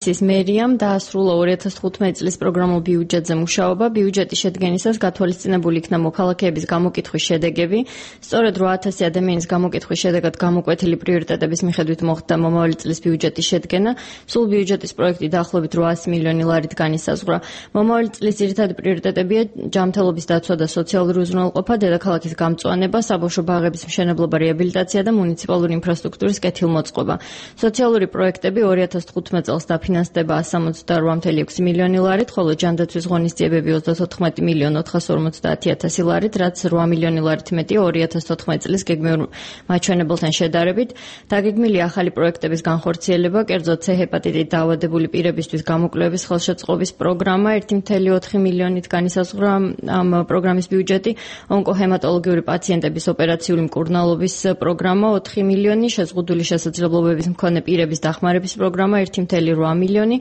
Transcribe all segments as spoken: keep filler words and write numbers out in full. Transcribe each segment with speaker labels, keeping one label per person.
Speaker 1: თბილისის მერიამ დაასრულა ორი ათას თხუთმეტი წლის პროგრამულ ბიუჯეტზე მუშაობა. ბიუჯეტის შედგენისას გათვალისწინებული იქნა მოქალაქეების გამოკითხვის შედეგები. სწორედ რვა ათასი ადამიანის გამოკითხვის შედეგად გამოკვეთილი პრიორიტეტების მიხედვით მოხდა მომავალი წლის ბიუჯეტის შედგენა. სულ ბიუჯეტის პროექტი დაახლოებით რვაასი მილიონი ლარით განისაზღვრა. მომავალი წლის ძირითადი პრიორიტეტებია ჯანმრთელობის დაცვა და სოციალური უზრუნველყოფა, დედაქალაქის გამწვანება, საბავშვო ბაღების მშენებლობა, რეაბილიტაცია და მუნიციპალური ინფრასტრუქტურის კეთილმოწყობა. სოციალური პროექტები ორი ათას თხუთმეტი წელს დაფინანსდება εκατს სამოცდაორ virgulă ექვსი მილიონი ლარით, ხოლო ჯანდაცვის ღონისძიებები ოცდათოთხმეტი მილიონ ოთხასი ორმოცდაათი ათასი ლარით, რაც რვა მილიონი ლარით მეტია ორი ათას თოთხმეტი წლის გეგმიურ მაჩვენებელთან შედარებით. დაგეგმილია ახალი პროექტების განხორციელება, კერძოდ C ჰეპატიტით დაავადებული პირებისთვის გამოკვლევის ხელშეწყობის პროგრამა ერთი virgulă ოთხი მილიონით განისაზღვრა ამ პროგრამის ბიუჯეტი, ონკოჰემატოლოგიური პაციენტების ოპერაციული მკურნალობის პროგრამა ოთხი მილიონი, შეზღუდული შესაძლებლობების მქონე პირების დახმარების პროგრამა ერთი virgulă რვა მილიონი,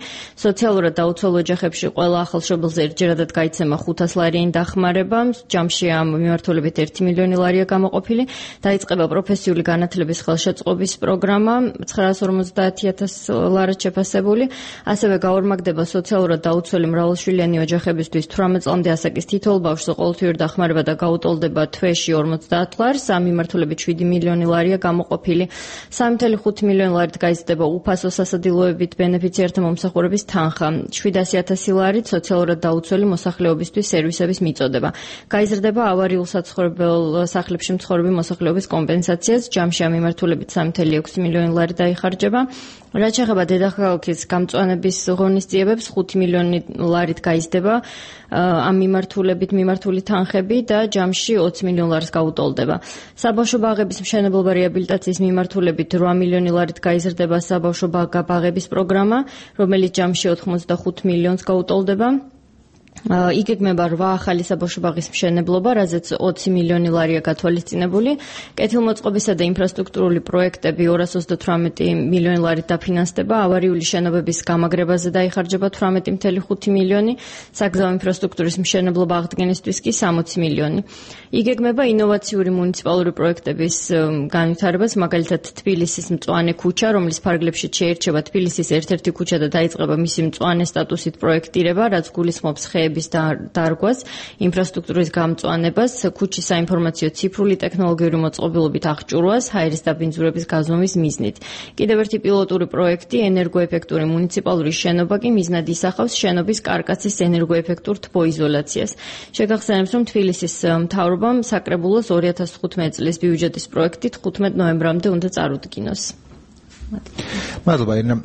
Speaker 1: სოციალურად დაუცველ ოჯახებში ყველა ახალშობილზე ერთჯერადად გაიცემა ხუთას ლარიანი დახმარება, ჯამში ამ მიმართულებით ერთი მილიონი ლარია გამოყოფილი, დაიწყება პროფესიული განათლების ხელშეწყობის პროგრამა ცხრაას ორმოცდაათი ათასი ლარად შეფასებული, ასევე გაორმაგდება სოციალურად დაუცველი მრავალშვილიანი ოჯახებისთვის თვრამეტ წლამდე ასაკის თითოეულ ბავშვზე ყოველთვიური დახმარება და გაუტოლდება თვეში ორმოცდაათ ლარს, ამ მიმართულებით შვიდი მილიონი ლარია გამოყოფილი. სამი virgulă ხუთი მილიონი ლარით გაიზრდება უფასო სასადილოებით ბენეფიციართა მომსახურების თანხა, შვიდასი ათასი ლარით სოციალურად დაუცველი მოსახლეობისთვის სერვისების მიწოდება. გაიზრდება ავარიულ საცხოვრებელ სახლებში მცხოვრები მოსახლეობის კომპენსაციას, ჯამში ამ მიმართულებით სამი virgulă ექვსი მილიონი ლარი დაიხარჯება. რაც შეეხება დედაქალაქის გამწვანების ღონისძიებებს, ხუთი მილიონი ლარით გაიზრდება ამ მიმართულებით მიმართული თანხები და ჯამში ოცი მილიონ ლარს გაუტოლდება. საბავშვო ბაღების მშენებლობა რეაბილიტაციის მიმართულებით რვა მილიონი ლარით გაიზრდება საბავშვო ბაღების პროგრამა, რომელიც ჯამში ოთხმოცდახუთ მილიონს გაუტოლდება. იგეგმება რვა ახალი საბავშვო ბაღის მშენებლობა, რაზეც ოცი მილიონი ლარია გათვალისწინებული. კეთილმოწყობისა და ინფრასტრუქტურული პროექტები ორას ოცდათვრამეტი მილიონი ლარით დაფინანსდება, ავარიული შენობების გამაგრებაზე დაიხარჯება თვრამეტი virgulă ხუთი მილიონი, საგზაო ინფრასტრუქტურის მშენებლობა აღდგენისთვის კი სამოცი მილიონი. იგეგმება ინოვაციური მუნიციპალური პროექტების განვითარებას, მაგალითად თბილისის მწვანე ქუჩა, რომლის ფარგლებში შეირჩება თბილისის ერთ-ერთი ქუჩა და დაიწყება მისი მწვანე სტატუსით პროექტირება, რაც გულისხმობს ხეების დარგვას, ინფრასტრუქტურის გამწვანებას, ქუჩის საინფორმაციო ციფრული ტექნოლოგიური მოწყობილობით აღჭურვას, ჰაერის დაბინძურების გაზომვის მიზნით. კიდევ ერთი პილოტური პროექტი, ენერგოეფექტური მუნიციპალური შენობა კი მიზნად ისახავს შენობის კარკასის ენერგოეფექტურ თბოიზოლაციას. შეგახსენებთ, რომ თბილისის მთავრობამ საკრებულოს ორი ათას თხუთმეტი წლის ბიუჯეტის პროექტი თხუთმეტ ნოემბრამდე უნდა წარუდგინოს.
Speaker 2: მადლობა ირნა.